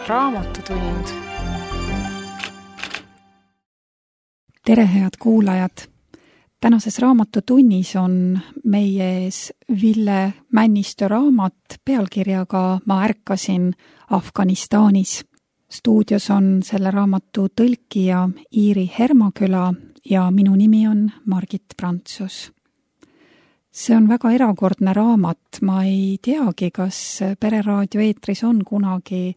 Raamatutund. Tere, head kuulajad! Tänases raamatutunnis on meie ees Ville Männistö raamat pealkirjaga Ma ärkasin Afganistanis. Stuudios on selle raamatu tõlkija Iiri Hermaküla ja minu nimi on Margit Prantsus. See on väga erakordne raamat. Ma ei teagi, kas Pereraadio eetris on kunagi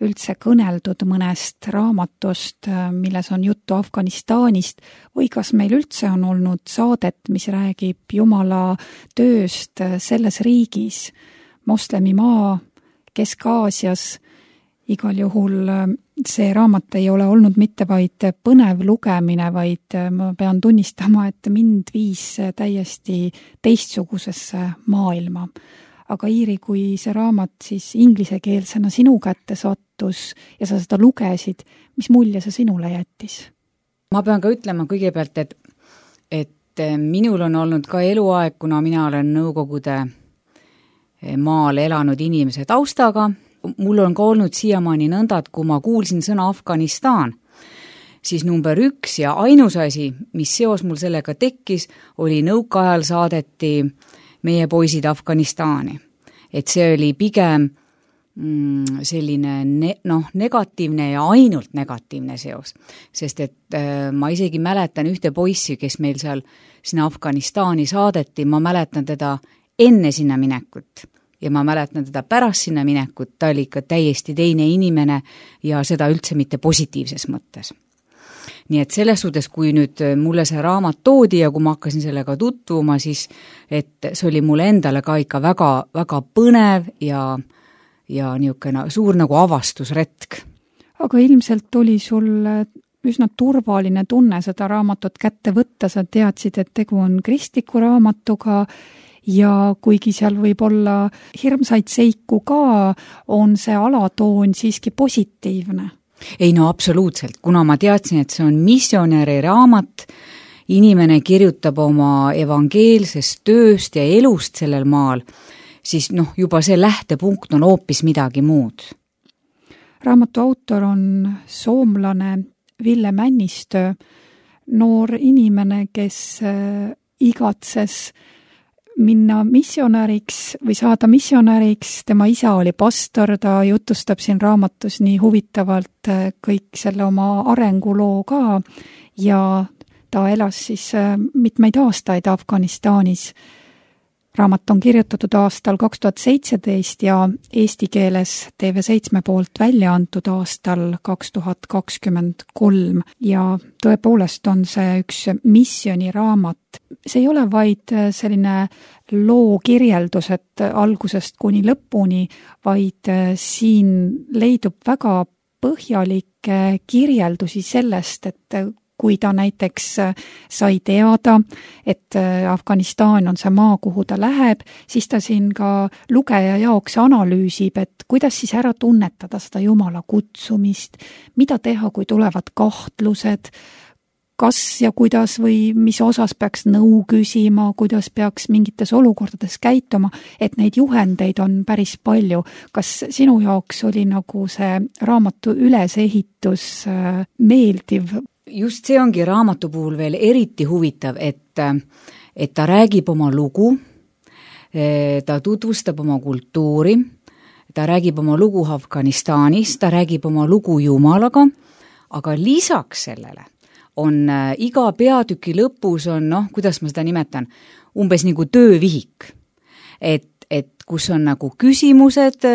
üldse kõneldud mõnest raamatust, milles on juttu Afganistanist, või kas meil üldse on olnud saadet, mis räägib Jumala tööst selles riigis, moslemimaa, Kesk-Aasias. Igal juhul see raamat ei ole olnud mitte vaid põnev lugemine, vaid ma pean tunnistama, et mind viis täiesti teistsugusesse maailma. Aga Iiri, kui see raamat siis inglisekeelsena sinu kätte sattus ja sa seda lugesid, mis mulje see sinule jättis? Ma pean ka ütlema kõigepealt, et minul on olnud ka eluaeg, kuna mina olen Nõukogude maal elanud inimese taustaga. Mul on ka olnud siiamaani nõnda, et kui ma kuulsin sõna Afganistan, siis number 1 ja ainus asi, mis seos mul sellega tekkis, oli nõukaajal saadeti meie poisid Afganistani. Et see oli pigem selline negatiivne ja ainult negatiivne seos. Sest et ma isegi mäletan ühte poissi, kes meil seal sinna Afganistani saadeti, ma mäletan teda enne sinna minekut ja ma mäletan teda pärast sinna minekut, ta oli ikka täiesti teine inimene ja seda üldse mitte positiivses mõttes. Nii et selles suhtes, kui nüüd mulle see raamat toodi ja kui ma hakkasin sellega tutvuma, siis et see oli mulle endale ka ikka väga, väga põnev ja niisugune suur nagu avastusretk. Aga ilmselt oli sul üsna turvaline tunne seda raamatut kätte võtta, sa teadsid, et tegu on kristliku raamatuga ja kuigi seal võib olla hirmsaid seiku ka, on see alatoon siiski positiivne. Ei no absoluutselt, kuna ma teadsin, et see on missionäri raamat, inimene kirjutab oma evangeelsest tööst ja elust sellel maal, siis juba see lähtepunkt on hoopis midagi muud. Raamatu autor on soomlane Ville Männistö, noor inimene, kes igatses minna missionäriks või saada missionäriks. Tema isa oli pastor, ta jutustab siin raamatus nii huvitavalt kõik selle oma arenguloo ka ja ta elas siis mitmeid aastaid Afganistanis. Raamat on kirjutatud aastal 2017 ja eesti keeles TV7 poolt välja antud aastal 2023 ja tõepoolest on see üks missioniraamat. See ei ole vaid selline loo kirjeldus, et algusest kuni lõpuni, vaid siin leidub väga põhjalikke kirjeldusi sellest, et kui ta näiteks sai teada, et Afganistan on see maa, kuhu ta läheb, siis ta siin ka lugeja jaoks analüüsib, et kuidas siis ära tunnetada seda Jumala kutsumist, mida teha, kui tulevad kahtlused, kas ja kuidas või mis osas peaks nõu küsima, kuidas peaks mingites olukordades käituma, et neid juhendeid on päris palju. Kas sinu jaoks oli nagu see raamatu ülesehitus meeldiv? Just see ongi raamatu puhul veel eriti huvitav, et ta räägib oma lugu, ta tutvustab oma kultuuri, ta räägib oma lugu Afganistanis, ta räägib oma lugu Jumalaga, aga lisaks sellele on iga peatüki lõpus on, kuidas ma seda nimetan, umbes nagu töövihik, et kus on nagu küsimused,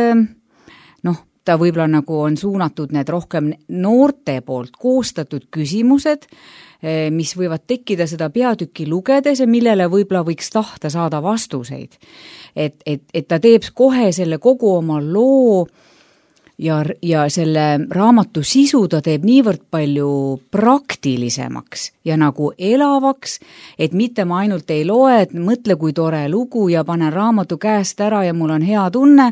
ta võib-olla nagu on suunatud need rohkem noorte poolt koostatud küsimused, mis võivad tekkida seda peatükki lugedes ja millele võib-olla võiks tahta saada vastuseid. Et ta teeb kohe selle kogu oma loo ja selle raamatu sisu ta teeb niivõrd palju praktilisemaks ja nagu elavaks, et mitte ma ainult ei loe, et mõtle kui tore lugu ja panen raamatu käest ära ja mul on hea tunne,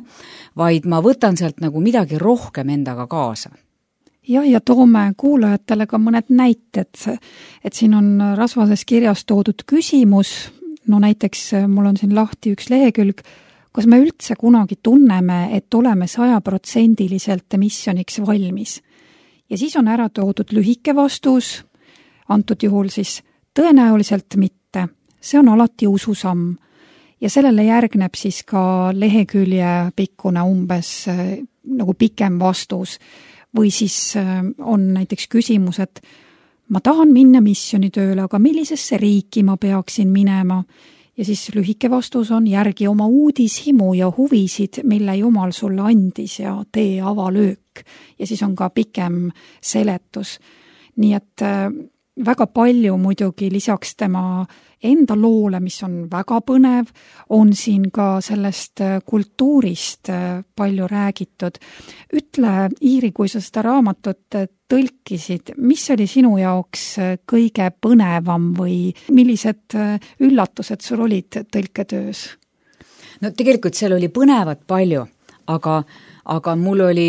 vaid ma võtan sealt nagu midagi rohkem endaga kaasa. Ja toome kuulajatele ka mõned näited, et siin on rasvases kirjas toodud küsimus, no näiteks mul on siin lahti üks lehekülg, kas me üldse kunagi tunneme, et oleme 100% missioniks valmis? Ja siis on ära toodud lühike vastus, antud juhul siis tõenäoliselt mitte. See on alati ususamm. Ja sellele järgneb siis ka lehekülje pikkune umbes nagu pikem vastus. Või siis on näiteks küsimus, et ma tahan minna missionitööle, aga millisesse riiki ma peaksin minema? Ja siis lühike vastus on järgi oma uudishimu ja huvisid, mille Jumal sulle andis ja tee avalöök. Ja siis on ka pikem seletus. Nii et väga palju muidugi lisaks tema enda loole, mis on väga põnev, on siin ka sellest kultuurist palju räägitud. Ütle, Iiri, kui sa seda raamatut tõlkisid, mis oli sinu jaoks kõige põnevam või millised üllatused sul olid tõlketöös? No tegelikult seal oli põnevat palju, aga mul oli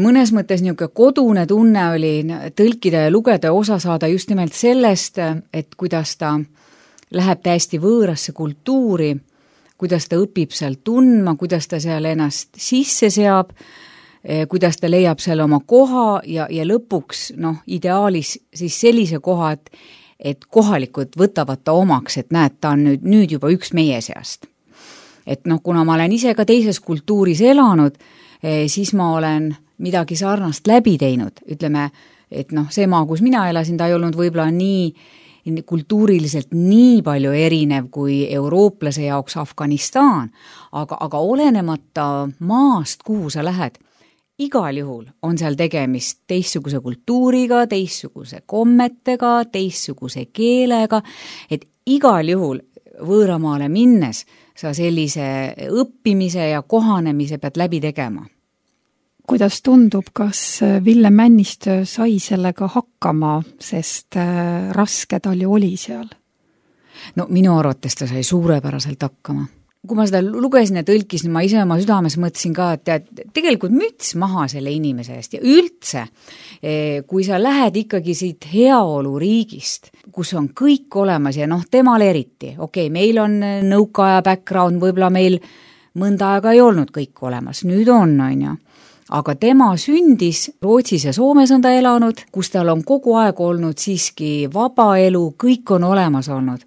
mõnes mõttes niisugune kodune tunne oli tõlkida ja lugeda ja osa saada just nimelt sellest, et kuidas ta läheb täiesti võõrasse kultuuri, kuidas ta õpib seal tundma, kuidas ta seal ennast sisse seab, kuidas ta leiab seal oma koha ja lõpuks ideaalis siis sellise koha, et kohalikud võtavad ta omaks, et näed, ta on nüüd juba üks meie seast. Et kuna ma olen ise ka teises kultuuris elanud, siis ma olen midagi sarnast läbi teinud. Ütleme, et see maa, kus mina elasin, ta ei olnud võib-olla nii kultuuriliselt nii palju erinev kui eurooplase jaoks Afganistan, aga olenemata maast, kuhu sa lähed, igal juhul on seal tegemist teistsuguse kultuuriga, teistsuguse kommetega, teistsuguse keelega, et igal juhul võõramaale minnes sa sellise õppimise ja kohanemise pead läbi tegema. Kuidas tundub, kas Ville Männistö sai sellega hakkama, sest raske tal ju oli seal? No minu arvates ta sai suurepäraselt hakkama. Kui ma seda lugesin ja tõlkisin, ma ise oma südames mõtlesin ka, et tegelikult müts maha selle inimese eest ja üldse, kui sa lähed ikkagi siit heaoluriigist, kus on kõik olemas ja temal eriti, meil on nõukaaja background, võib-olla meil mõnda aega ei olnud kõik olemas, nüüd on ju. Aga tema sündis Rootsis ja Soomes on ta elanud, kus tal on kogu aeg olnud siiski vaba elu, kõik on olemas olnud.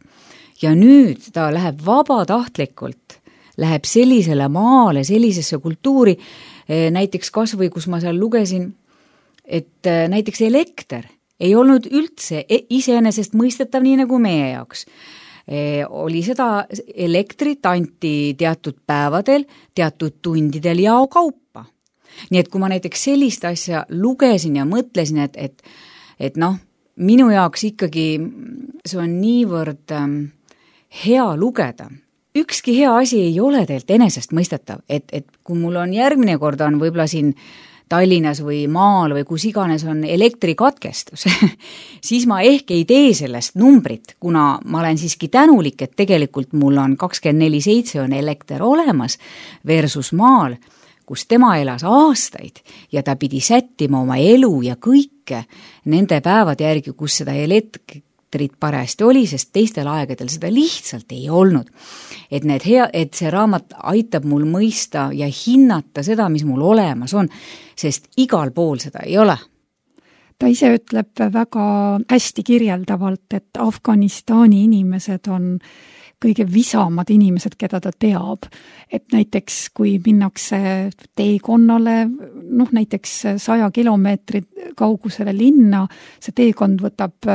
Ja nüüd ta läheb vabatahtlikult, läheb sellisele maale, sellisesse kultuuri, näiteks kasvõi, kus ma seal lugesin, et näiteks elekter ei olnud üldse iseenesest mõistetav nii nagu meie jaoks. Oli seda elektrit anti teatud päevadel, teatud tundidel ja kaupa. Nii et kui ma näiteks sellist asja lugesin ja mõtlesin, et minu jaoks ikkagi see on niivõrd hea lugeda. Ükski hea asi ei ole teilt enesest mõistetav, et kui mul on järgmine kord on võib-olla siin Tallinnas või maal või kus iganes on elektrikatkestus, siis ma ehk ei tee sellest numbrit, kuna ma olen siiski tänulik, et tegelikult mul on 24/7 on elekter olemas versus maal, kus tema elas aastaid ja ta pidi sättima oma elu ja kõike nende päevade järgi, kus seda elektrit parajasti oli, sest teistel aegadel seda lihtsalt ei olnud. Et see raamat aitab mul mõista ja hinnata seda, mis mul olemas on, sest igal pool seda ei ole. Ta ise ütleb väga hästi kirjeldavalt, et Afganistani inimesed on kõige visamad inimesed, keda ta teab. Et näiteks kui minnakse teekonnale, näiteks 100 kilomeetri kaugusele linna, see teekond võtab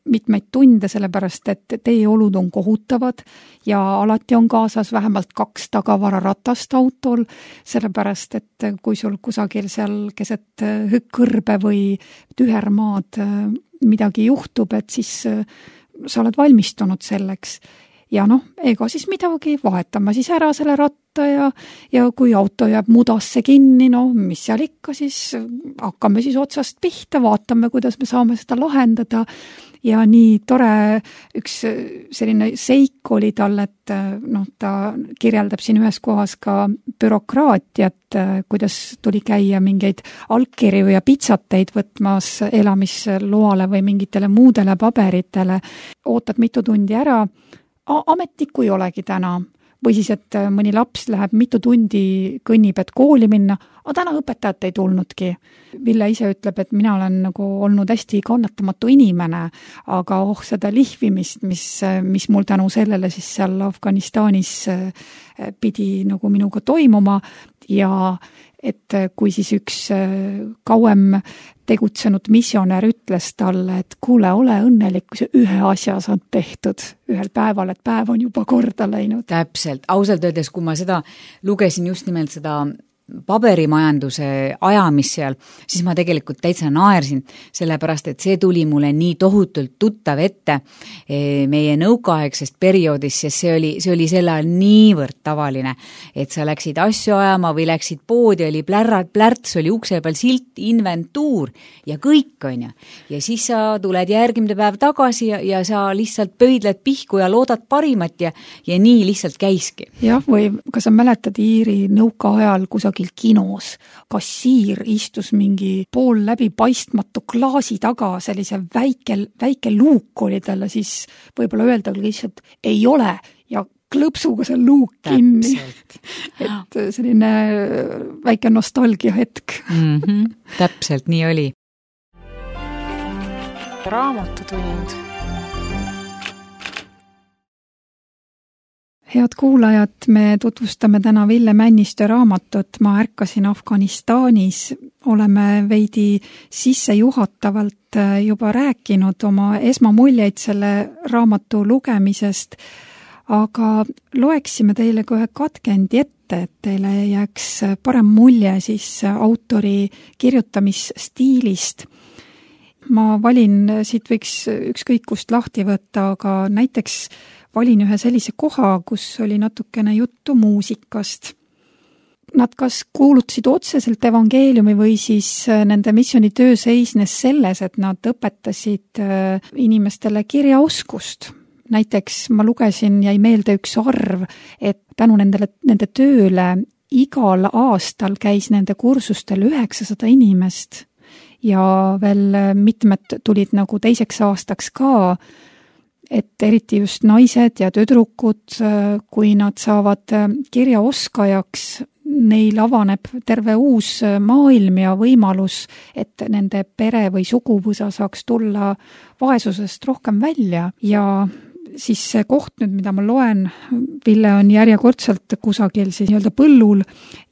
mitmeid tunde, sellepärast et teeolud on kohutavad ja alati on kaasas vähemalt 2 tagavararatast autol, sellepärast et kui sul kusagil seal keset kõrbe või tühermaad midagi juhtub, et siis sa oled valmistunud selleks. Ja ega siis midagi, vahetame siis ära selle ratta ja kui auto jääb mudasse kinni, mis seal ikka, siis hakkame siis otsast pihta, vaatame, kuidas me saame seda lahendada. Ja nii tore üks selline seik oli tal, et ta kirjeldab siin ühes kohas ka bürokraatiat, kuidas tuli käia mingeid allkirju ja pitsateid võtmas elamisloale või mingitele muudele paberitele. Ootad mitu tundi ära, ametnikku ei olegi täna. Või siis, et mõni laps läheb mitu tundi, kõnnib, et kooli minna, aga täna õpetajat ei tulnudki. Ville ise ütleb, et mina olen nagu olnud hästi kannatamatu inimene, aga seda lihvimist, mis mul tänu sellele siis seal Afganistanis pidi nagu minuga toimuma ja et kui siis üks kauem tegutsenud missionär ütles talle, et kuule, ole õnnelik, kui see ühe asja saad tehtud ühel päeval, et päev on juba korda läinud. Täpselt, ausalt öeldes, kui ma seda lugesin just nimelt seda paberimajanduse ajamist seal, siis ma tegelikult täitsa naersin, sellepärast, et see tuli mulle nii tohutult tuttav ette meie nõukaaegsest perioodist, sest see oli sel ajal niivõrd tavaline, et sa läksid asju ajama või läksid poodi, oli plärts, oli ukse peal silt, inventuur ja kõik on ju. Ja siis sa tuled järgmine päev tagasi ja sa lihtsalt pöidled pihku ja loodad parimat ja nii lihtsalt käiski. Jah, või kas sa mäletad Iiri nõukaajal kusagil kinos, kassiir istus mingi pool läbi paistmatu klaasi taga, sellise väike luuk oli talle, siis võib-olla öelda lihtsalt ei ole ja klõpsuga see luuk kinni. Et selline väike nostalgia hetk. Täpselt, nii oli. Raamatutund. Head kuulajad, me tutvustame täna Ville Männistö raamatut Ma ärkasin Afganistanis. Oleme veidi sissejuhatavalt juba rääkinud oma esmamuljeid selle raamatu lugemisest, aga loeksime teile kohe katkendi ette, et teile jääks parem mulje siis autori kirjutamisstiilist. Ma valin, siit võiks ükskõik kust lahti võtta, aga näiteks valin ühe sellise koha, kus oli natukene juttu muusikast. Nad kas kuulutasid otseselt evangeeliumi või siis nende missioonitöö seisnes selles, et nad õpetasid inimestele kirjaoskust. Näiteks ma lugesin, jäi meelde üks arv, et tänu nende tööle igal aastal käis nende kursustel 900 inimest ja veel mitmed tulid nagu teiseks aastaks ka, et eriti just naised ja tüdrukud, kui nad saavad kirjaoskajaks, neil avaneb terve uus maailm ja võimalus, et nende pere või suguvõsa saaks tulla vaesusest rohkem välja. Ja siis see koht nüüd, mida ma loen, Ville on järjekordselt kusagil siis nii-öelda põllul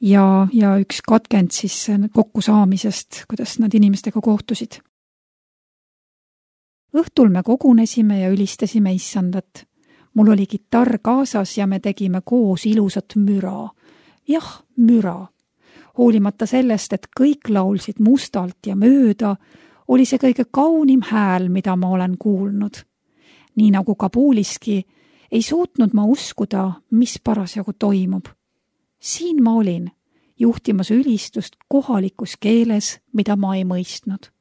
ja üks katkend siis kokkusaamisest, kuidas nad inimestega kohtusid. Õhtul me kogunesime ja ülistasime issandat. Mul oli kitarr kaasas ja me tegime koos ilusat müra. Jah, müra. Hoolimata sellest, et kõik laulsid mustalt ja mööda, oli see kõige kaunim hääl, mida ma olen kuulnud. Nii nagu Kabuliski, ei suutnud ma uskuda, mis parasjagu toimub. Siin ma olin, juhtimas ülistust kohalikus keeles, mida ma ei mõistnud.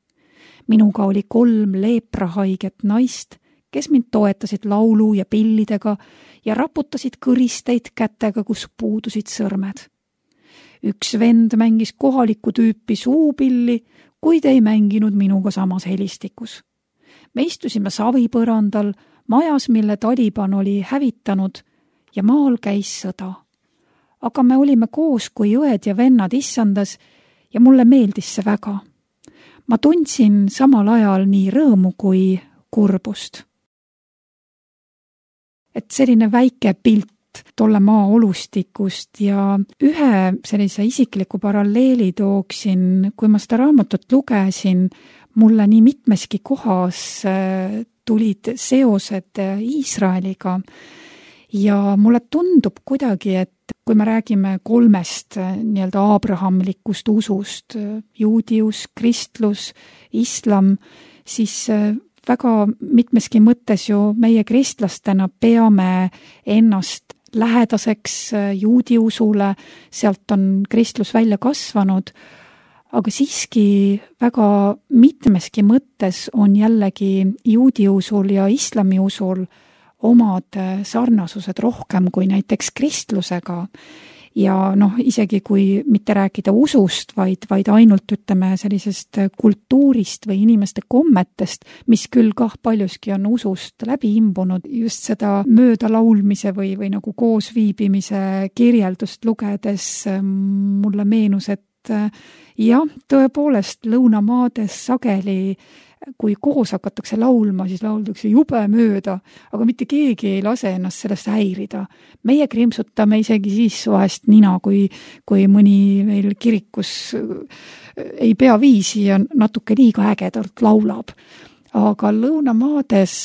Minuga oli 3 leeprahaiget naist, kes mind toetasid laulu ja pillidega ja raputasid kõristeid kätega, kus puudusid sõrmed. Üks vend mängis kohalikku tüüpi suupilli, kuid ei mänginud minuga samas helistikus. Me istusime savipõrandal, majas, mille Taliban oli hävitanud ja maal käis sõda. Aga me olime koos kui õed ja vennad issandas ja mulle meeldis see väga. Ma tundsin samal ajal nii rõõmu kui kurbust. Et selline väike pilt tolle maa olustikust ja ühe sellise isikliku paralleeli tooksin, kui ma seda raamatut lugesin, mulle nii mitmeski kohas tulid seosed Iisraeliga ja mulle tundub kuidagi, et kui me räägime 3 nii-öelda aabrahamlikust usust, juudius, kristlus, islam, siis väga mitmeski mõttes ju meie kristlastena peame ennast lähedaseks juudi usule, sealt on kristlus välja kasvanud, aga siiski väga mitmeski mõttes on jällegi juudi usul ja islami usul omad sarnasused rohkem kui näiteks kristlusega. ja noh, isegi kui mitte rääkida usust, vaid ainult ütleme sellisest kultuurist või inimeste kommetest, mis küll kah paljuski on usust läbi imbunud, just seda möödalaulmise või nagu koosviibimise kirjeldust lugedes mulle meenus, et jah, tõepoolest lõunamaades sageli kui koos hakatakse laulma, siis lauldakse jube mööda, aga mitte keegi ei lase ennast sellest häirida. Meie krimpsutame isegi siis vahest nina, kui mõni meil kirikus ei pea viisi ja natuke liiga ägedalt laulab. Aga lõunamaades,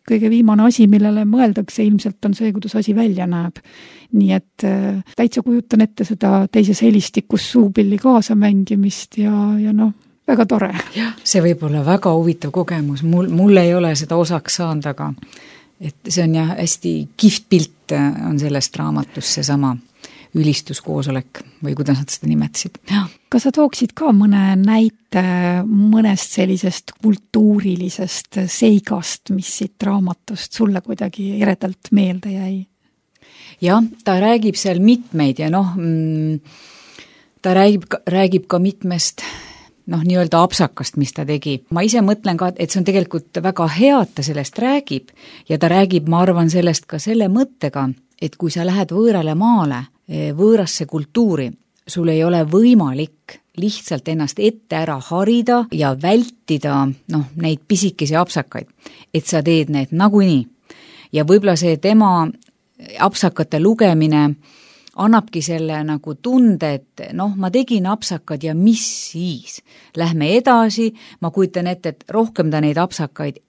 kõige viimane asi, millele mõeldakse ilmselt on see, kuidas asi välja näeb. Nii et täitsa kujutan ette seda teises helistikus suupilli kaasamängimist ja väga tore. Jah, see võib olla väga huvitav kogemus. Mul ei ole seda osaks saanud, aga et see on jah hästi kihvt pilt on sellest raamatust seesama ülistuskoosolek või kuidas nad seda nimetasid. Kas sa tooksid ka mõne näite mõnest sellisest kultuurilisest seigast, mis siit raamatust sulle kuidagi eredalt meelde jäi? Jah, ta räägib seal mitmeid ja ta räägib ka mitmest nii-öelda apsakast, mis ta tegi. Ma ise mõtlen ka, et see on tegelikult väga hea, et ta sellest räägib ja ta räägib, ma arvan, sellest ka selle mõttega, et kui sa lähed võõrale maale, võõrasse kultuuri, sul ei ole võimalik lihtsalt ennast ette ära harida ja vältida neid pisikesi apsakaid, et sa teed need nagunii. Ja võib-olla see tema apsakate lugemine annabki selle nagu tunde, et ma tegin apsakad ja mis siis? Lähme edasi, ma kujutan ette, et rohkem ta neid apsakaid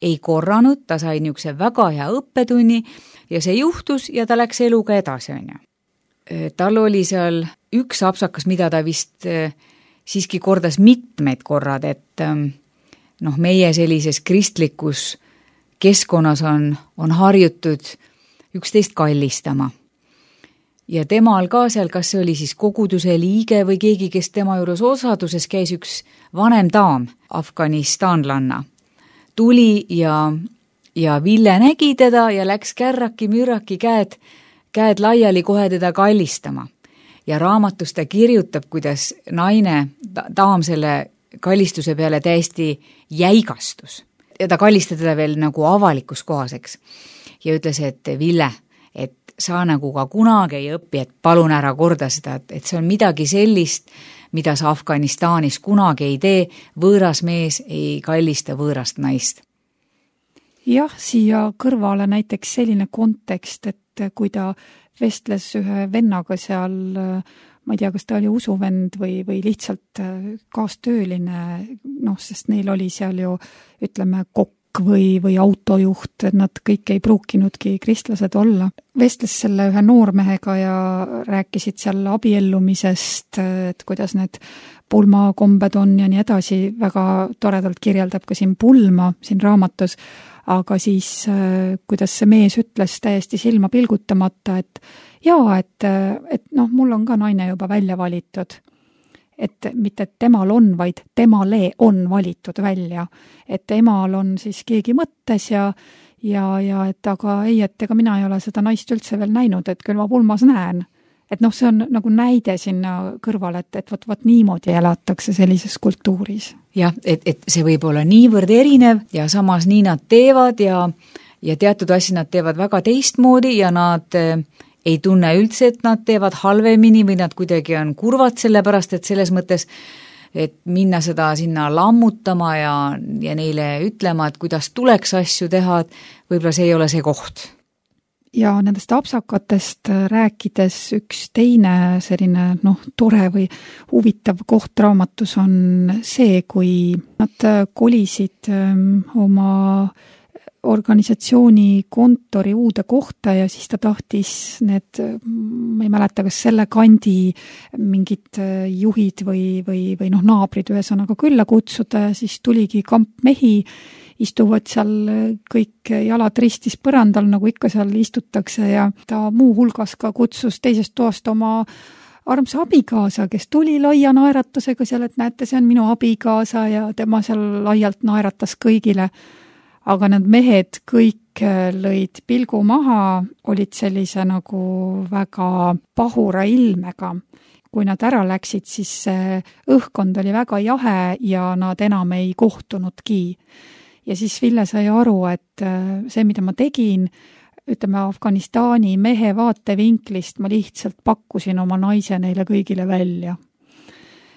ei korranud, ta sai niisuguse väga hea õppetunni ja see juhtus ja ta läks eluga edasi, on ju. Tal oli seal üks apsakas, mida ta vist siiski kordas mitmeid korrad, et meie sellises kristlikus keskkonnas on harjutud üksteist kallistama. Ja temal ka seal, kas see oli siis koguduse liige või keegi, kes tema juures osaduses käis, üks vanem daam, afganistanlanna, tuli ja Ville nägi teda ja läks kärraki-mürraki käed laiali kohe teda kallistama. Ja raamatus ta kirjutab, kuidas daam selle kallistuse peale täiesti jäigastus. Ja ta kallistas teda veel nagu avalikus kohaseks ja ütles, et Ville, et sa nagu ka kunagi ei õpi, et palun ära korda seda, et see on midagi sellist, mida sa Afganistanis kunagi ei tee, võõras mees ei kallista võõrast naist. Jah, siia kõrvale näiteks selline kontekst, et kui ta vestles ühe vennaga seal, ma ei tea, kas ta oli usuvend või lihtsalt kaastööline, sest neil oli seal ju, ütleme, kokk või autojuht, et nad kõik ei pruukinudki kristlased olla. Vestles selle ühe noormehega ja rääkisid seal abiellumisest, et kuidas need pulmakombed on ja nii edasi, väga toredalt kirjeldab ka siin pulma siin raamatus, aga siis kuidas see mees ütles täiesti silma pilgutamata, et mul on ka naine juba välja valitud. Et mitte temal on, vaid temale on valitud välja. Et emal on siis keegi mõttes ja et aga ei, et ega mina ei ole seda naist üldse veel näinud, et küll ma pulmas näen. Et see on nagu näide sinna kõrvale, et võt niimoodi elatakse sellises kultuuris. Jah, et see võib olla niivõrd erinev ja samas nii nad teevad ja teatud asja nad teevad väga teistmoodi ja nad ei tunne üldse, et nad teevad halvemini või nad kuidagi on kurvad sellepärast, et selles mõttes, et minna seda sinna lammutama ja neile ütlema, et kuidas tuleks asju teha, et võib-olla see ei ole see koht. Ja nendest apsakatest rääkides üks teine selline tore või huvitav koht raamatus on see, kui nad kolisid oma organisatsiooni kontori uude kohta ja siis ta tahtis need, ma ei mäleta, kas selle kandi mingid juhid või naabrid ühesõnaga külla kutsuda ja siis tuligi kamp mehi, istuvad seal kõik jalad ristis põrandal, nagu ikka seal istutakse ja ta muu hulgas ka kutsus teisest toast oma armsa abikaasa, kes tuli laia naeratusega seal, et näete, see on minu abikaasa ja tema seal laialt naeratas kõigile. aga need mehed kõik lõid pilgu maha, olid sellise nagu väga pahura ilmega. Kui nad ära läksid, siis õhkkond oli väga jahe ja nad enam ei kohtunudki. Ja siis Ville sai aru, et see, mida ma tegin, ütleme Afganistani mehe vaatevinklist, ma lihtsalt pakkusin oma naise neile kõigile välja.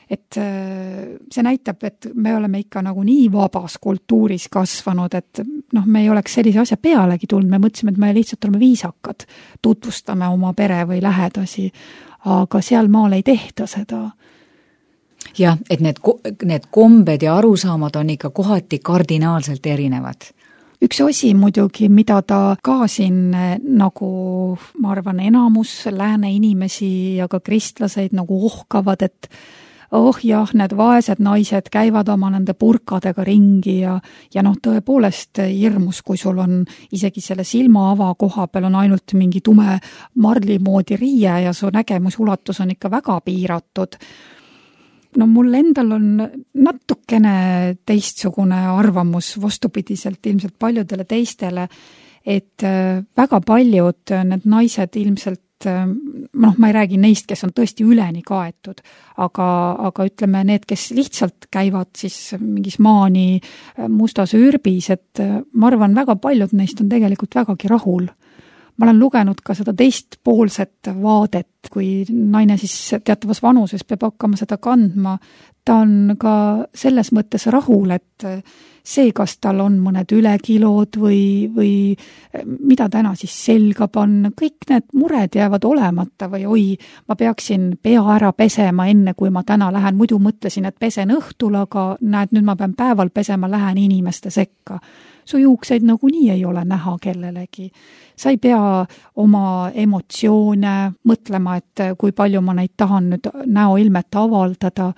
Et see näitab, et me oleme ikka nagu nii vabas kultuuris kasvanud, et me ei oleks sellise asja pealegi tulnud, me mõtlesime, et me lihtsalt oleme viisakad, tutvustame oma pere või lähedasi, aga seal maal ei tehta seda. Jah, et need kombed ja arusaamad on ikka kohati kardinaalselt erinevad. Üks asi muidugi, mida ta ka siin nagu, ma arvan, enamus lääne inimesi ja ka kristlaseid nagu ohkavad, et jah, need vaesed naised käivad oma nende purkadega ringi ja tõepoolest hirmus, kui sul on isegi selle silmaava koha peal on ainult mingi tume marli moodi riie ja su nägemusulatus on ikka väga piiratud. Mul endal on natukene teistsugune arvamus vastupidiselt ilmselt paljudele teistele, et väga paljud need naised ilmselt ma ei räägi neist, kes on tõesti üleni kaetud, aga ütleme need, kes lihtsalt käivad siis mingis maani mustas ürbis, et ma arvan, väga paljud neist on tegelikult vägagi rahul. Ma olen lugenud ka seda teistpoolset vaadet, kui naine siis teatavas vanuses peab hakkama seda kandma, ta on ka selles mõttes rahul, et see, kas tal on mõned ülekilod või mida täna siis selga panna, kõik need mured jäävad olemata või oi, ma peaksin pea ära pesema enne, kui ma täna lähen, muidu mõtlesin, et pesen õhtul, aga näed, nüüd ma pean päeval pesema, lähen inimeste sekka. Su juukseid nagunii ei ole näha kellelegi. Sa ei pea oma emotsioone mõtlema, et kui palju ma neid tahan nüüd näoilmet avaldada,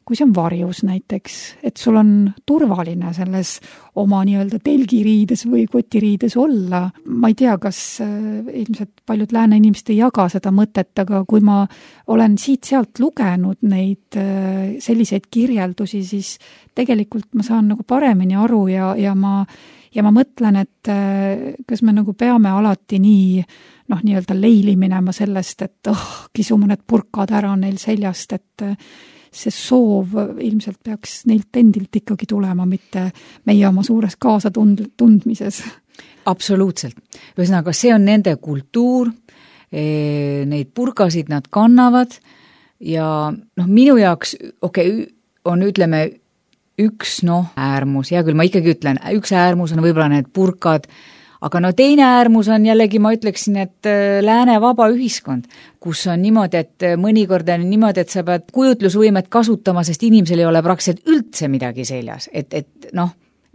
kui see on varjus näiteks, et sul on turvaline selles oma nii-öelda telgiriides või kotiriides olla. Ma ei tea, kas ilmselt paljud lääne inimesed ei jaga seda mõtet, aga kui ma olen siit-sealt lugenud neid selliseid kirjeldusi, siis tegelikult ma saan nagu paremini aru ja ma mõtlen, et kas me nagu peame alati nii-öelda leili minema sellest, et kisume need purkad ära neil seljast, et see soov ilmselt peaks neilt endilt ikkagi tulema, mitte meie oma suures kaasatundmises. Absoluutselt. Ühesõnaga, see on nende kultuur, neid purkasid nad kannavad ja minu jaoks, on ütleme üks äärmus, hea küll, ma ikkagi ütlen, üks äärmus on võib-olla need purkad, aga teine äärmus on jällegi, ma ütleksin, et lääne vaba ühiskond, kus on niimoodi, et mõnikord on niimoodi, et sa pead kujutlusvõimet kasutama, sest inimesel ei ole praktiliselt üldse midagi seljas,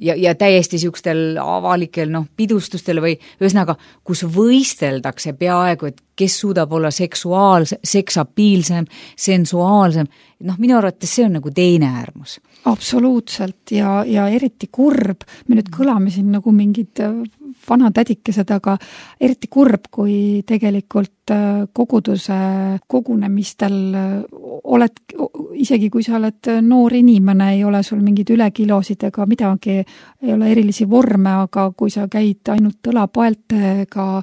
ja täiesti siukstel avalikel pidustustel või ühesõnaga, kus võisteldakse peaaegu, et kes suudab olla seksapiilsem, sensuaalsem, minu arvates see on nagu teine äärmus. Absoluutselt ja eriti kurb, me nüüd kõlame siin nagu mingid vanatädikesed, aga eriti kurb, kui tegelikult koguduse kogunemistel oled, isegi kui sa oled noor inimene, ei ole sul mingid ülekilosid ega midagi, ei ole erilisi vorme, aga kui sa käid ainult õlapaeltega,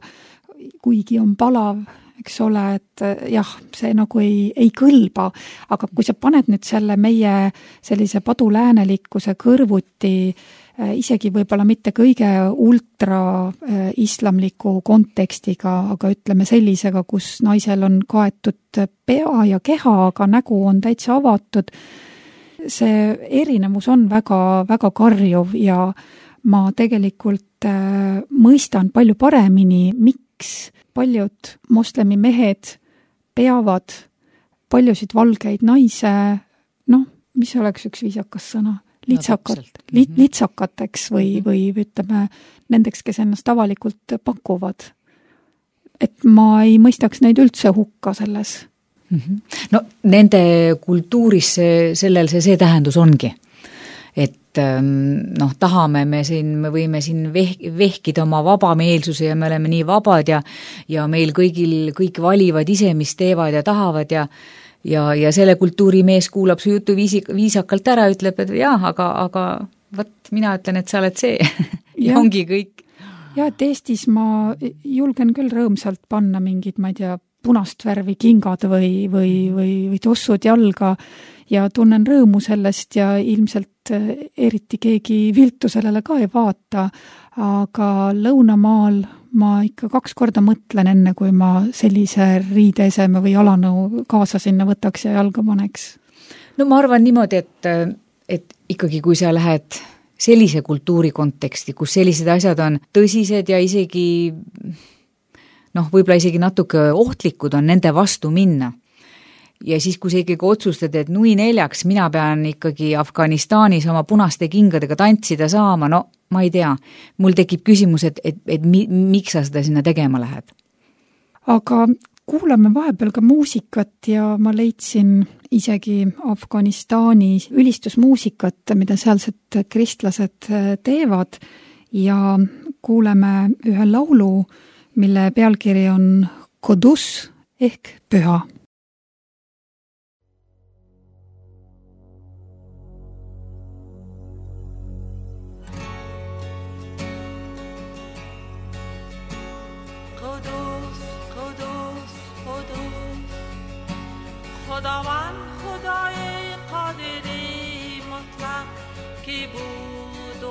kuigi on palav, eks ole, et jah, see nagu ei kõlba, aga kui sa paned nüüd selle meie sellise paduläänelikkuse kõrvuti, isegi võib-olla mitte kõige ultra-islamliku kontekstiga, aga ütleme sellisega, kus naisel on kaetud pea ja keha, aga nägu on täitsa avatud, see erinevus on väga, väga karjuv ja ma tegelikult mõistan palju paremini, miks paljud moslemi mehed peavad paljusid valgeid naise, mis oleks üks viisakas sõna, litsakateks või ütleme nendeks, kes ennast avalikult pakuvad. Et ma ei mõistaks neid üldse hukka selles. Nende kultuuris sellel see tähendus ongi. Et tahame me võime siin vehkida oma vabameelsuse ja me oleme nii vabad ja meil kõik valivad ise, mis teevad ja tahavad ja selle kultuuri mees kuulab su jutu viisakalt ära, ütleb, et jah, aga mina ütlen, et sa oled see. ja ongi kõik. Ja, et Eestis ma julgen küll rõõmsalt panna mingid, ma ei tea, punast värvi kingad või tossud jalga ja tunnen rõõmu sellest ja ilmselt eriti keegi viltu sellele ka ei vaata, aga Lõunamaal ma ikka 2 korda mõtlen enne, kui ma sellise riideeseme või jalanõu kaasa sinna võtaks ja jalga paneks. No ma arvan niimoodi, et ikkagi kui sa lähed sellise kultuuri konteksti, kus sellised asjad on tõsised ja isegi võib-olla isegi natuke ohtlikud on nende vastu minna. Ja siis, kui sa ikkagi otsustad, et nui 4, mina pean ikkagi Afganistanis oma punaste kingadega tantsida saama, no ma ei tea, mul tekib küsimus, et miks sa seda sinna tegema lähed? Aga kuulame vahepeal ka muusikat ja ma leidsin isegi Afganistani ülistusmuusikat, mida sealsed kristlased teevad ja kuuleme ühe laulu, mille pealkiri on Kodus ehk püha. خداوند خدای قادری مطلق کی بود و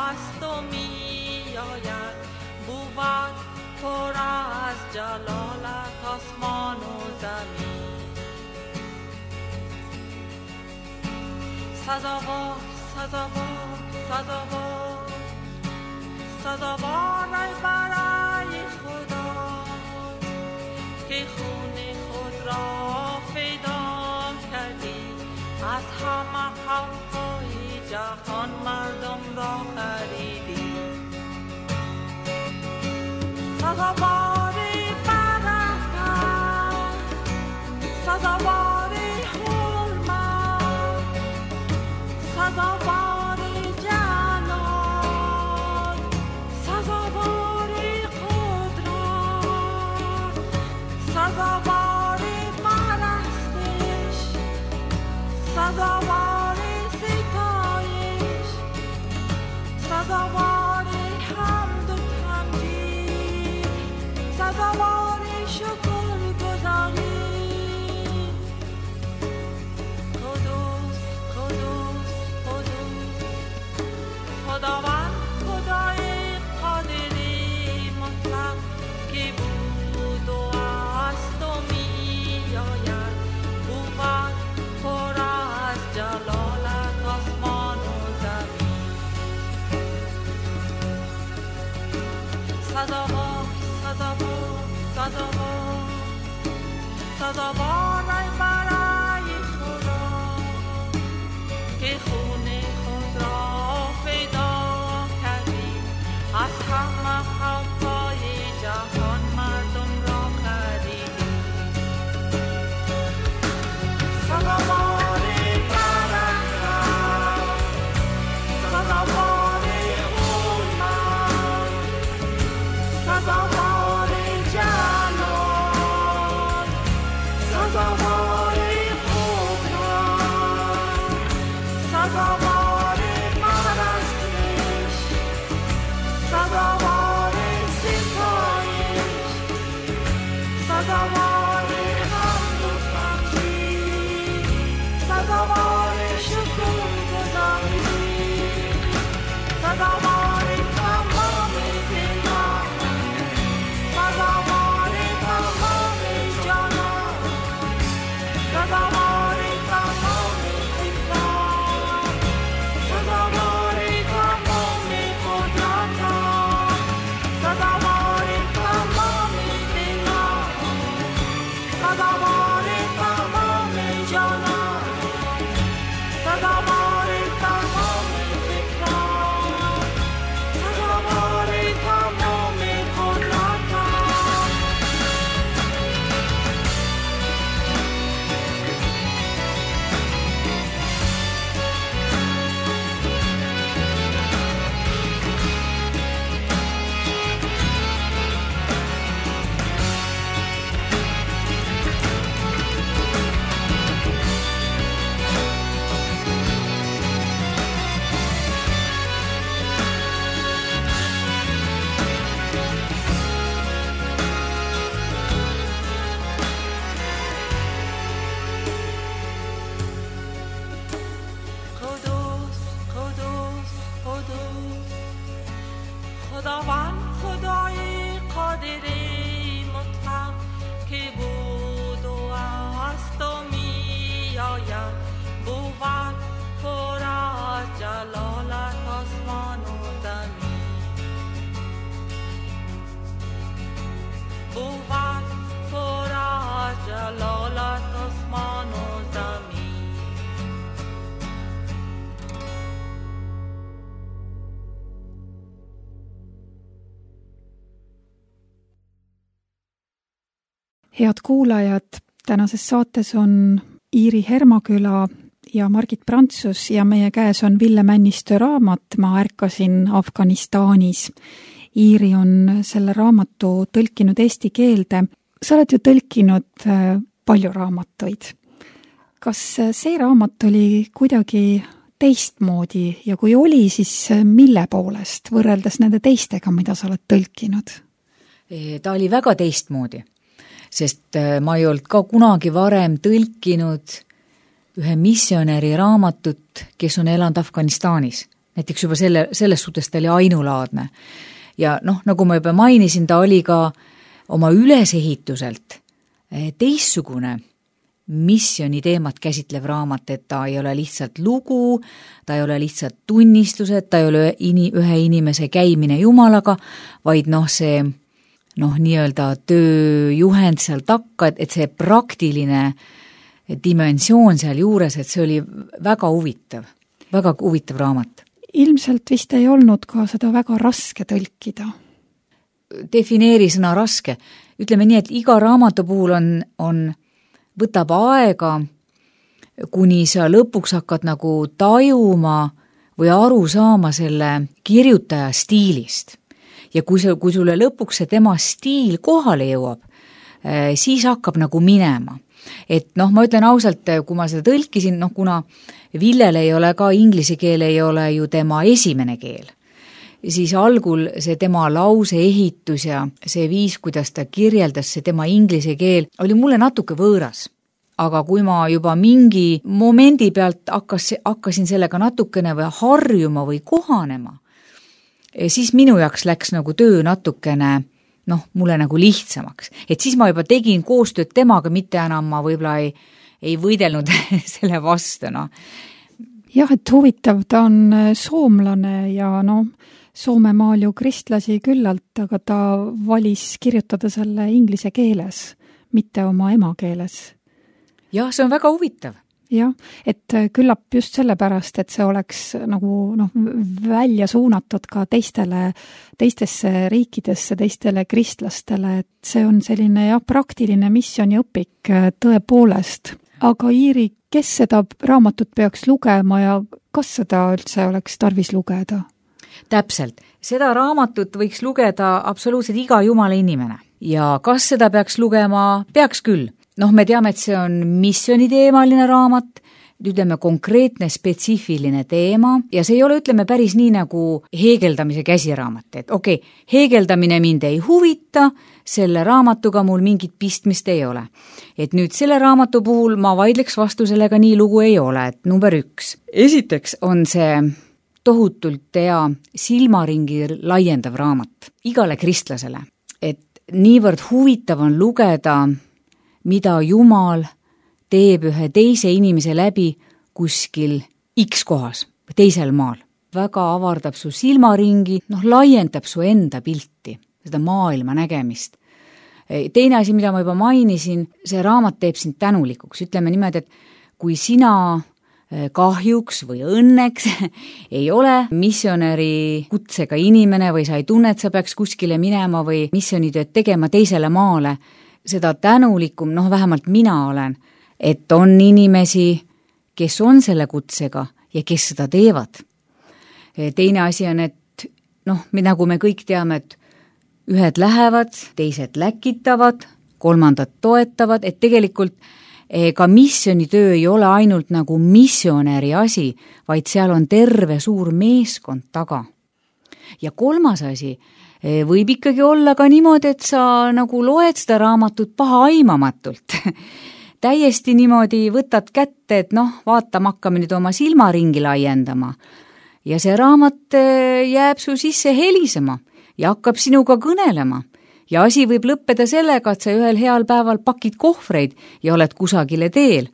است و می آید بود پر از جلالت آسمان و زمین سزاوار سزاوار سزاوار سزاوار ای برای خدا که خون خود را از همه خلقهای جهان مردم را خریدی سزاواری برکت سزاواری حرمت سزاواری جلال سزاواری قدرت سزاواری پرستش سزاواری ستایش سزاواری حمد و تمجید سزاواری شکر گزاری قدوس قدوس قدوس خداوند خدای قادری مطلق که بود و است و می آید بود پر از جلالت آسمان و زمین سزاوار سزاوار سزاوار سزاوار ای برای خدا که خون خود را فدا کردی از همه خلقهای جهان مردم را خریدی سزاوار سزاوار جلال خداوند خدای قادر مطلق که بود و است و می آید بود پر از جلالت آسمان و زمین بود پر از جلالت آسمان و زمین. Head kuulajad, tänases saates on Iiri Hermaküla ja Margit Prantsus ja meie käes on Ville Männistö raamat Ma ärkasin Afganistanis. Iiri on selle raamatu tõlkinud eesti keelde. Sa oled ju tõlkinud palju raamatuid. Kas see raamat oli kuidagi teistmoodi ja kui oli, siis mille poolest võrreldes nende teistega, mida sa oled tõlkinud? Ta oli väga teistmoodi, sest ma ei olnud ka kunagi varem tõlkinud ühe missionäri raamatut, kes on elanud Afganistanis. Näiteks juba selles suhtes ta oli ainulaadne. Ja nagu ma juba mainisin, ta oli ka oma ülesehituselt teistsugune missiooni teemat käsitlev raamat, et ta ei ole lihtsalt lugu, ta ei ole lihtsalt tunnistused, ta ei ole ühe inimese käimine Jumalaga, vaid see nii-öelda tööjuhend seal takka, et see praktiline dimensioon seal juures, et see oli väga huvitav raamat. Ilmselt vist ei olnud ka seda väga raske tõlkida. Defineeri sõna raske. Ütleme nii, et iga raamatu puhul võtab aega, kuni sa lõpuks hakkad nagu tajuma või aru saama selle kirjutaja stiilist. Ja kui sulle lõpuks see tema stiil kohale jõuab, siis hakkab nagu minema. Et ma ütlen ausalt, kui ma seda tõlkisin, kuna Villel ei ole ka inglise keel, ei ole ju tema esimene keel, siis algul see tema lause ehitus ja see viis, kuidas ta kirjeldas, see tema inglise keel, oli mulle natuke võõras. Aga kui ma juba mingi momendi pealt hakkasin sellega natukene või harjuma või kohanema, siis minu jaoks läks nagu töö natukene, mulle nagu lihtsamaks. Et siis ma juba tegin koostööd temaga, mitte enam ma võib-olla ei võidelnud selle vastu. Jah, et huvitav, ta on soomlane ja Soomemaal ju kristlasi küllalt, aga ta valis kirjutada selle inglise keeles, mitte oma emakeeles. Jah, see on väga huvitav. Jah, et küllap just sellepärast, et see oleks nagu välja suunatud ka teistesse riikidesse, teistele kristlastele, et see on selline praktiline missiooniõpik tõepoolest. Aga Iiri, kes seda raamatut peaks lugema ja kas seda üldse oleks tarvis lugeda? Täpselt. Seda raamatut võiks lugeda absoluutselt iga jumala inimene. Ja kas seda peaks lugema? Peaks küll. Me teame, et see on missiooniteemaline raamat, ütleme konkreetne spetsiifiline teema ja see ei ole, ütleme, päris nii nagu heegeldamise käsiraamat, et heegeldamine mind ei huvita, selle raamatuga mul mingit pistmist ei ole. Et nüüd selle raamatu puhul ma vaidleks vastu, sellega nii lugu ei ole, et number 1. Esiteks on see tohutult hea silmaringi laiendav raamat igale kristlasele, et niivõrd huvitav on lugeda, mida Jumal teeb ühe teise inimese läbi kuskil X kohas, teisel maal. Väga avardab su silmaringi, laiendab su enda pilti, seda maailma nägemist. Teine asi, mida ma juba mainisin, see raamat teeb sind tänulikuks. Ütleme niimoodi, et kui sina kahjuks või õnneks ei ole missionäri kutsega inimene või sa ei tunne, et sa peaks kuskile minema või missioonitööd tegema teisele maale, seda tänulikum, vähemalt mina olen, et on inimesi, kes on selle kutsega ja kes seda teevad. Teine asi on, et nagu me kõik teame, et ühed lähevad, teised läkitavad, kolmandad toetavad, et tegelikult ka missioonitöö ei ole ainult nagu missionäri asi, vaid seal on terve suur meeskond taga. Ja kolmas asi, võib ikkagi olla ka niimoodi, et sa nagu loed seda raamatut paha aimamatult. Täiesti niimoodi võtad kätte, et vaatama hakkame nüüd oma silmaringi laiendama. Ja see raamat jääb su sisse helisema. ja hakkab sinuga kõnelema. Ja asi võib lõppeda sellega, et sa ühel heal päeval pakid kohvreid ja oled kusagile teel.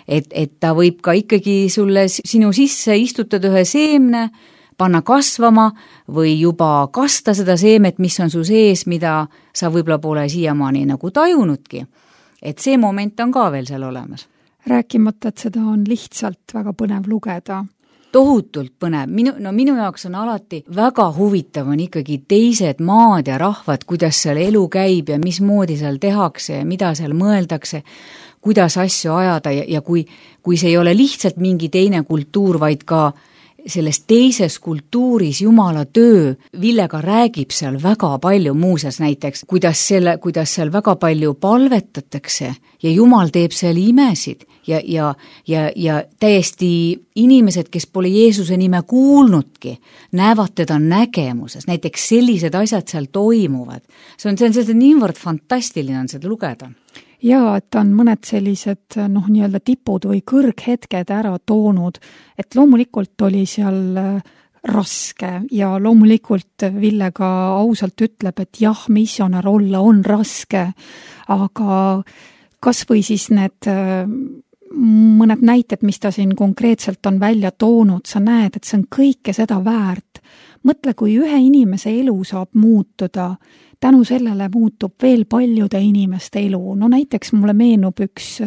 Et ta võib ka ikkagi sulle sinu sisse istutada ühe seemne, panna kasvama või juba kasta seda seemet, mis on su sees, mida sa võib-olla pole siiamaani nagu tajunudki. Et see moment on ka veel seal olemas. Rääkimata, et seda on lihtsalt väga põnev lugeda. Tohutult põnev. Minu jaoks on alati väga huvitav on ikkagi teised maad ja rahvad, kuidas seal elu käib ja mismoodi seal tehakse ja mida seal mõeldakse, kuidas asju ajada ja kui see ei ole lihtsalt mingi teine kultuur, vaid ka selles teises kultuuris Jumala töö, Villega räägib seal väga palju muuseas näiteks, kuidas seal väga palju palvetatakse ja Jumal teeb seal imesid ja täiesti inimesed, kes pole Jeesuse nime kuulnudki, näevad teda nägemuses, näiteks sellised asjad seal toimuvad. See on niivõrd fantastiline on seda lugeda. Ja, et on mõned sellised nii-öelda tipud või kõrghetked ära toonud, et loomulikult oli seal raske ja loomulikult Ville ka ausalt ütleb, et jah, missionär olla on raske, aga kas või siis need mõned näited, mis ta siin konkreetselt on välja toonud, sa näed, et see on kõike seda väärt. Mõtle, kui ühe inimese elu saab muutuda, tänu sellele muutub veel paljude inimeste elu. No näiteks mulle meenub üks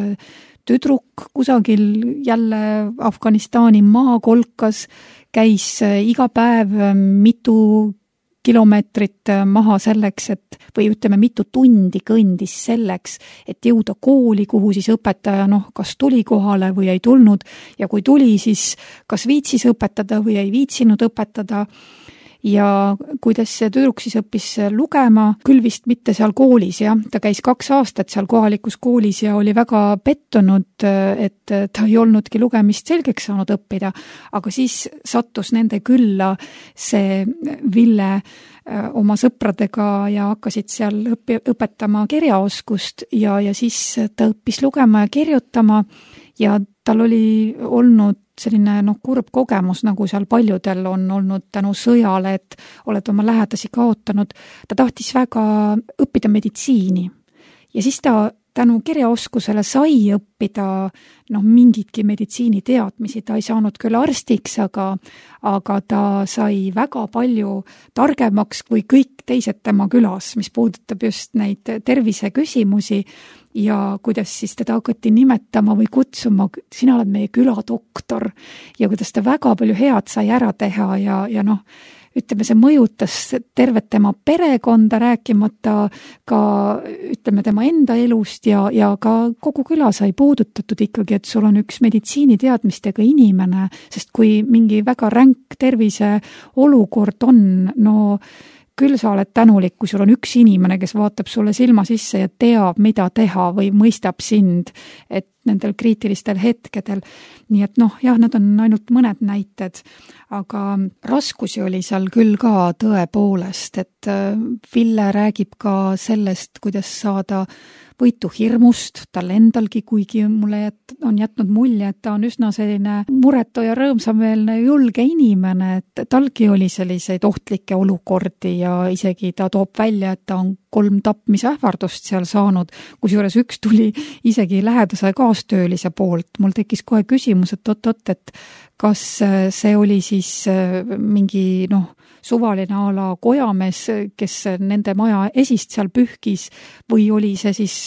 tüdruk kusagil jälle Afganistani maakolkas, käis iga päev mitu kilomeetrit maha selleks, või ütleme mitu tundi kõndis selleks, et jõuda kooli, kuhu siis õpetaja kas tuli kohale või ei tulnud ja kui tuli, siis kas viitsis õpetada või ei viitsinud õpetada. Ja kuidas see tüdruk siis õppis lugema, küll vist mitte seal koolis, jah. Ta käis 2 aastat seal kohalikus koolis ja oli väga pettunud, et ta ei olnudki lugemist selgeks saanud õppida, aga siis sattus nende külla see Ville oma sõpradega ja hakkasid seal õpetama kirjaoskust ja siis ta õppis lugema ja kirjutama ja tal oli olnud selline kurb kogemus, nagu seal paljudel on olnud tänu sõjale, et oled oma lähedasi kaotanud. Ta tahtis väga õppida meditsiini ja siis ta tänu kirjaoskusele sai õppida mingitki meditsiiniteadmisi. Ta ei saanud küll arstiks, aga ta sai väga palju targemaks kui kõik teised tema külas, mis puudutab just neid terviseküsimusi ja kuidas siis teda hakati nimetama või kutsuma, sina oled meie küladoktor ja kuidas ta väga palju head sai ära teha ja ütleme, see mõjutas tervet tema perekonda, rääkimata ka ütleme tema enda elust ja ka kogu küla sai puudutatud ikkagi, et sul on üks meditsiiniteadmistega inimene, sest kui mingi väga ränk tervise olukord on, küll sa oled tänulik, kui sul on üks inimene, kes vaatab sulle silma sisse ja teab, mida teha või mõistab sind, et nendel kriitilistel hetkedel. Nii et need on ainult mõned näited, aga raskusi oli seal küll ka tõepoolest, et Ville räägib ka sellest, kuidas saada võitu hirmust, tal endalgi, kuigi mulle on jätnud mulje, et ta on üsna selline muretu ja rõõmsameelne julge inimene, et talgi oli selliseid ohtlikke olukordi ja isegi ta toob välja, et ta on 3 tapmisähvardust seal saanud, kusjuures üks tuli isegi lähedase kaastöölise poolt. Mul tekkis kohe küsimus, et kas see oli siis mingi suvaline ala kojamees, kes nende maja esist seal pühkis või oli see siis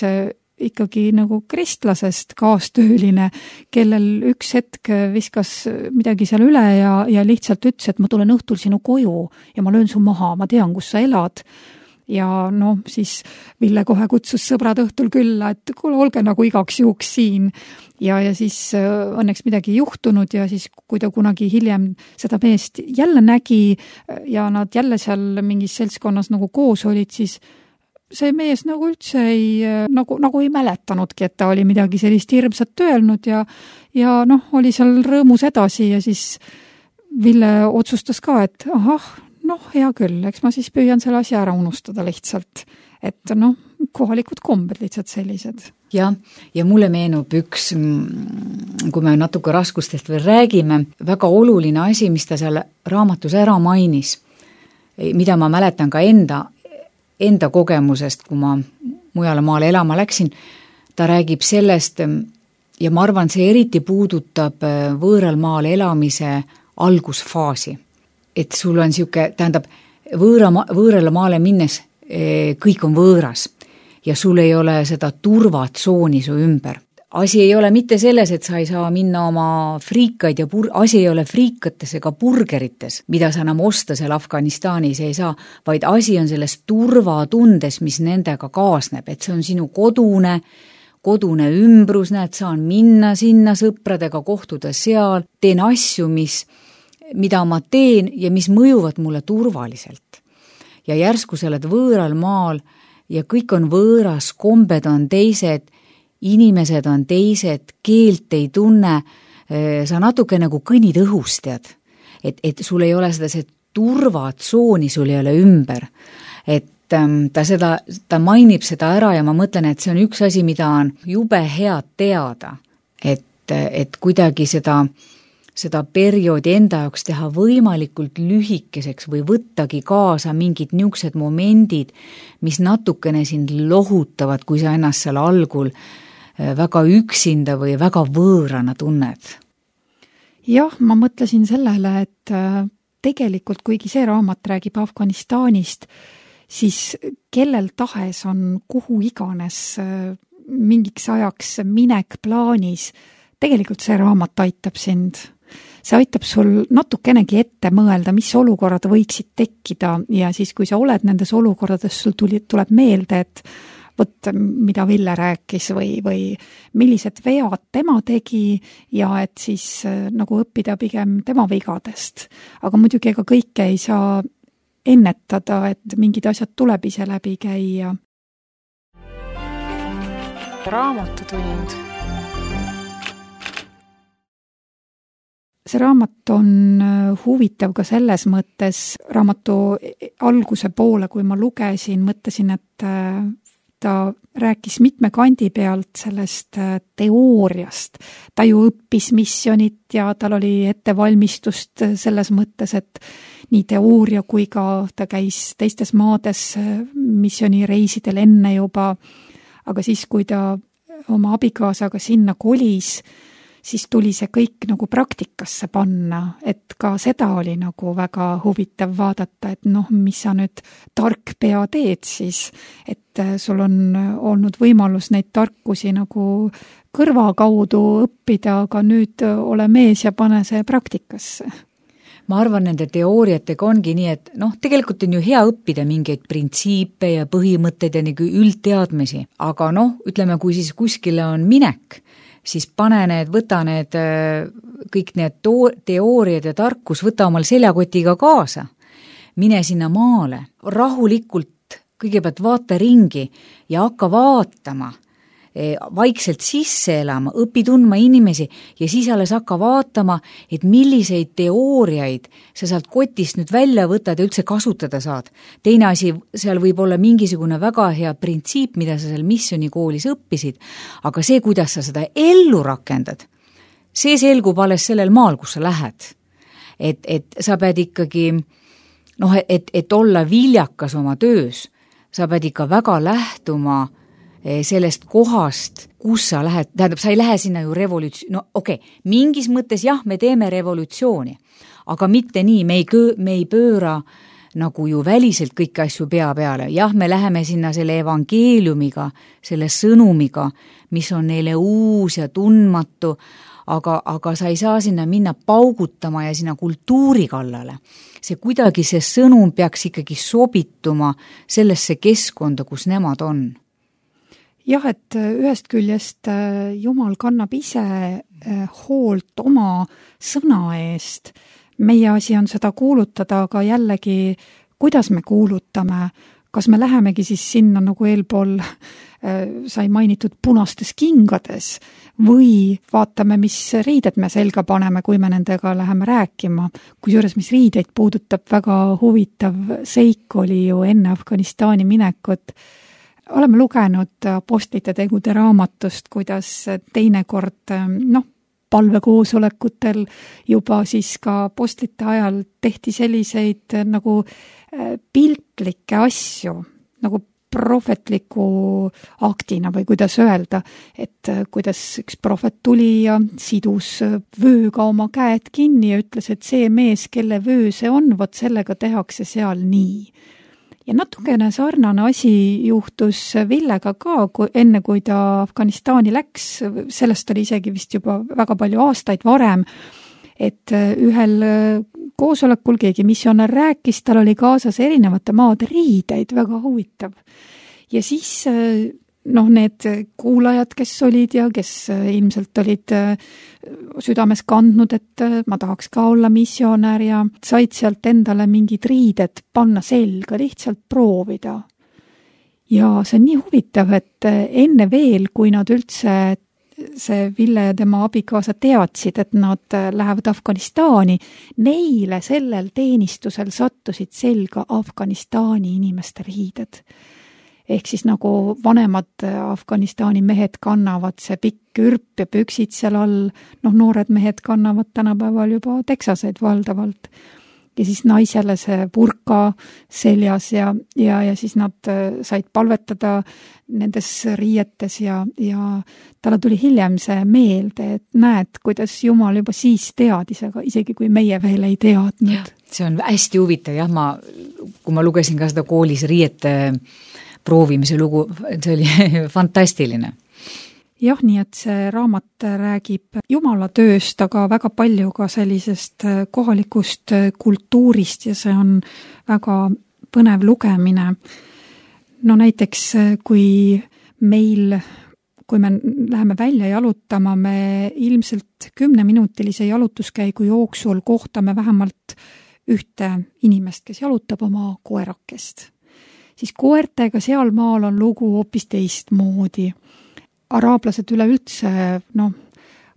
ikkagi nagu kristlasest kaastööline, kellel üks hetk viskas midagi seal üle ja lihtsalt ütles, et ma tulen õhtul sinu koju ja ma löön su maha, ma tean, kus sa elad. Ja siis Ville kohe kutsus sõbrad õhtul külla, et kuule, olge nagu igaks juhuks siin. Ja siis õnneks midagi juhtunud ja siis, kui ta kunagi hiljem seda meest jälle nägi ja nad jälle seal mingis seltskonnas nagu koos olid, siis see mees nagu üldse nagu ei mäletanudki, et ta oli midagi sellist hirmsat öelnud ja oli seal rõõmus edasi ja siis Ville otsustas ka, et hea küll, eks ma siis püüan selle asja ära unustada lihtsalt, et kohalikud kombed lihtsalt sellised. Ja mulle meenub üks, kui me natuke raskustest veel räägime, väga oluline asi, mis ta seal raamatus ära mainis. mida ma mäletan ka enda kogemusest, kui ma mujale maale elama läksin, ta räägib sellest ja ma arvan, see eriti puudutab võõral maal elamise algusfaasi. Et sul on siuke, tähendab, võõrale maale minnes kõik on võõras ja sul ei ole seda turvatsooni su ümber. Asi ei ole mitte selles, et sa ei saa minna oma friikaid ja asi ei ole friikates ega burgerites, mida sa enam osta seal Afganistanis ei saa, vaid asi on selles turvatundes, mis nendega kaasneb, et see on sinu kodune ümbrus, näed, saan minna sinna sõpradega, kohtuda seal, teen asju, mida ma teen ja mis mõjuvad mulle turvaliselt. Ja järsku sa oled võõral maal ja kõik on võõras, kombed on teised, inimesed on teised, keelt ei tunne, sa natuke nagu kõnnid õhust, tead. Et sul ei ole see turvatsooni, sul ei ole ümber. Et ta mainib seda ära ja ma mõtlen, et see on üks asi, mida on jube head teada. Et kuidagi seda perioodi enda jaoks teha võimalikult lühikeseks või võttagi kaasa mingid niisugused momendid, mis natukene sind lohutavad, kui sa ennast seal algul väga üksinda või väga võõrana tunned. Jah, ma mõtlesin sellele, et tegelikult kuigi see raamat räägib Afganistanist, siis kellel tahes on kuhu iganes mingiks ajaks minek plaanis, tegelikult see raamat aitab sind. See aitab sul natukenegi ette mõelda, mis olukorrad võiksid tekkida ja siis, kui sa oled nendes olukordades, sul tuleb meelde, et võt, mida Ville rääkis või millised vead tema tegi ja et siis nagu õppida pigem tema vigadest. Aga muidugi ega kõike ei saa ennetada, et mingid asjad tuleb ise läbi käia. Raamatutund. See raamat on huvitav ka selles mõttes, raamatu alguse poole, kui ma lugesin, mõtlesin, et ta rääkis mitme kandi pealt sellest teooriast. Ta ju õppis missionit ja tal oli ettevalmistust selles mõttes, et nii teooria kui ka ta käis teistes maades missionireisidel enne juba, aga siis, kui ta oma abikaasaga sinna kolis, siis tuli see kõik nagu praktikasse panna, et ka seda oli nagu väga huvitav vaadata, et mis sa nüüd tark pea teed siis, et sul on olnud võimalus neid tarkusi nagu kõrva kaudu õppida, aga nüüd ole mees ja pane see praktikasse. Ma arvan, nende teooriatega ongi nii, et tegelikult on ju hea õppida mingeid printsiipe ja põhimõtteid ja nagu üldteadmisi, aga ütleme, kui siis kuskile on minek, siis võta need kõik need teooriad ja tarkus, võta omal seljakotiga kaasa, mine sinna maale, rahulikult kõigepealt vaata ringi ja hakka vaatama, vaikselt sisse elama, õpi tundma inimesi ja siis alles hakka vaatama, et milliseid teooriaid sa sealt kotist nüüd välja võtad ja üldse kasutada saad. Teine asi, seal võib olla mingisugune väga hea printsiip, mida sa seal missionikoolis õppisid, aga see, kuidas sa seda ellu rakendad, see selgub alles sellel maal, kus sa lähed. Et sa pead ikkagi, et olla viljakas oma töös, sa pead ikka väga lähtuma sellest kohast, kus sa lähed, tähendab, sa ei lähe sinna ju mingis mõttes jah, me teeme revolutsiooni, aga mitte nii, me ei pööra nagu ju väliselt kõiki asju pea peale. Jah, me läheme sinna selle evangeeliumiga, selle sõnumiga, mis on neile uus ja tundmatu, aga sa ei saa sinna minna paugutama ja sinna kultuuri kallale. See sõnum peaks ikkagi sobituma sellesse keskkonda, kus nemad on. Jah, et ühest küljest Jumal kannab ise hoolt oma sõna eest. Meie asi on seda kuulutada, aga jällegi, kuidas me kuulutame, kas me lähemegi siis sinna nagu eelpool sai mainitud punastes kingades või vaatame, mis riided me selga paneme, kui me nendega läheme rääkima. Kusjuures, mis riideid puudutab, väga huvitav seik oli ju enne Afganistani minekut. Oleme lugenud Apostlite tegude raamatust, kuidas teinekord, palvekoosolekutel juba siis ka postlite ajal tehti selliseid nagu piltlikke asju, nagu prohvetliku aktina või kuidas öelda, et kuidas üks prohvet tuli ja sidus vööga oma käed kinni ja ütles, et see mees, kelle vöö see on, vot sellega tehakse seal nii. Ja natukene sarnane asi juhtus Villega ka, enne kui ta Afganistani läks, sellest oli isegi vist juba väga palju aastaid varem, et ühel koosolekul keegi missionär rääkis, tal oli kaasas erinevate maade riideid, väga huvitav. Ja siis need kuulajad, kes olid ja kes ilmselt olid südames kandnud, et ma tahaks ka olla missionär ja said sealt endale mingid riided panna selga, lihtsalt proovida. Ja see on nii huvitav, et enne veel, kui nad üldse see Ville ja tema abikaasa teadsid, et nad lähevad Afganistani, neile sellel teenistusel sattusid selga Afganistani inimeste riided. Ehk siis nagu vanemad Afganistani mehed kannavad see pikk kürp ja püksid seal all, noored mehed kannavad tänapäeval juba teksaseid valdavalt. Ja siis naisele see burka seljas ja siis nad said palvetada nendes riietes ja talle tuli hiljem see meelde, et näed, kuidas Jumal juba siis teadis, aga isegi kui meie veel ei teadnud. See on hästi huvitav, kui ma lugesin ka seda koolis riiete proovimise lugu, see oli fantastiline. Jah, nii et see raamat räägib Jumala tööst, aga väga palju ka sellisest kohalikust kultuurist ja see on väga põnev lugemine. Näiteks, kui me läheme välja jalutama, me ilmselt 10-minutilise jalutuskäigu jooksul kohtame vähemalt ühte inimest, kes jalutab oma koerakest. Siis koertega seal maal on lugu hoopis teistmoodi. Araablased üleüldse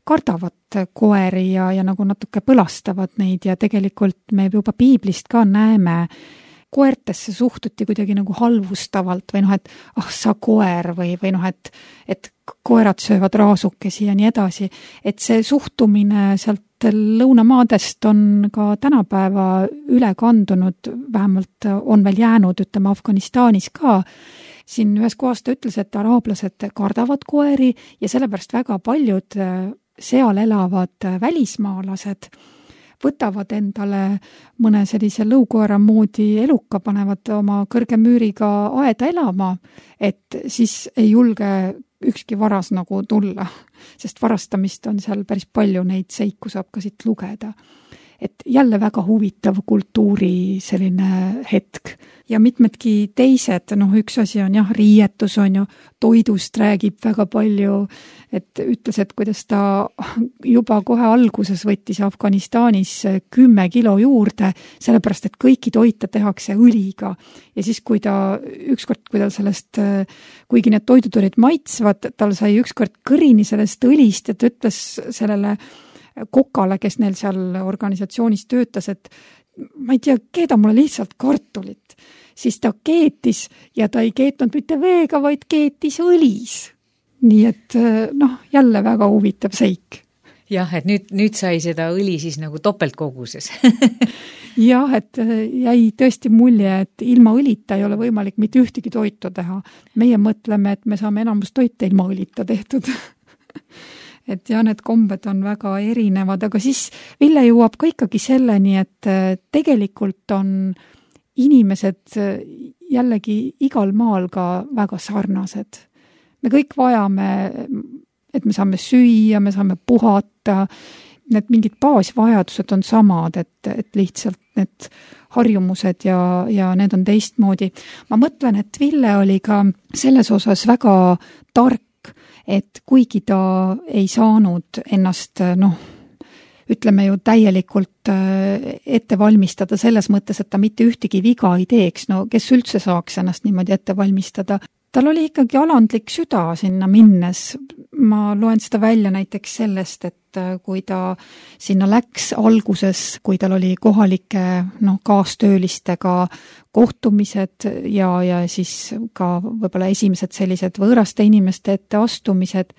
kardavad koeri ja nagu natuke põlastavad neid ja tegelikult me juba piiblist ka näeme, koertesse suhtuti kuidagi nagu halvustavalt või et sa koer või et koerad söövad raasukesi ja nii edasi. Et see suhtumine sealt lõunamaadest on ka tänapäeva üle kandunud, vähemalt on veel jäänud, ütleme Afganistanis ka. Siin ühes kohas ta ütles, et araablased kardavad koeri ja sellepärast väga paljud seal elavad välismaalased võtavad endale mõne sellise lõukoera moodi eluka, panevad oma kõrge müüriga aeda elama, et siis ei julge ükski varas nagu tulla, sest varastamist on seal päris palju, neid seiku saab ka siit lugeda. Et jälle väga huvitav kultuuri selline hetk. Ja mitmedki teised, üks asi on riietus on ju, toidust räägib väga palju, et ütles, et kuidas ta juba kohe alguses võttis Afganistanis 10 kilo juurde, sellepärast, et kõiki toite tehakse õliga. Ja siis, kui ükskord, kui tal sellest, kuigi need toidud olid maitsvad, tal sai ükskord kõrini sellest õlist, et ütles sellele kokale, kes neil seal organisatsioonis töötas, et ma ei tea, keeda mulle lihtsalt kartulit. Siis ta keetis ja ta ei keetnud mitte veega, vaid keetis õlis. Nii et jälle väga huvitav seik. Jah, et nüüd sai seda õli siis nagu topeltkoguses. Jah, et jäi tõesti mulje, et ilma õlita ei ole võimalik mitte ühtegi toitu teha. Meie mõtleme, et me saame enamus toite ilma õlita tehtud. Et need kombed on väga erinevad, aga siis Ville jõuab ka ikkagi selleni, et tegelikult on inimesed jällegi igal maal ka väga sarnased. Me kõik vajame, et me saame süüa, me saame puhata, need mingid baasvajadused on samad, et lihtsalt need harjumused ja need on teistmoodi. Ma mõtlen, et Ville oli ka selles osas väga tark, et kuigi ta ei saanud ennast, ütleme ju täielikult ette valmistada selles mõttes, et ta mitte ühtegi viga ei teeks, kes üldse saaks ennast niimoodi ette valmistada. Tal oli ikkagi alandlik süda sinna minnes. Ma loen seda välja näiteks sellest, et kui ta sinna läks alguses, kui tal oli kohalike kaastöölistega kohtumised ja siis ka võib-olla esimesed sellised võõraste inimeste ette astumised,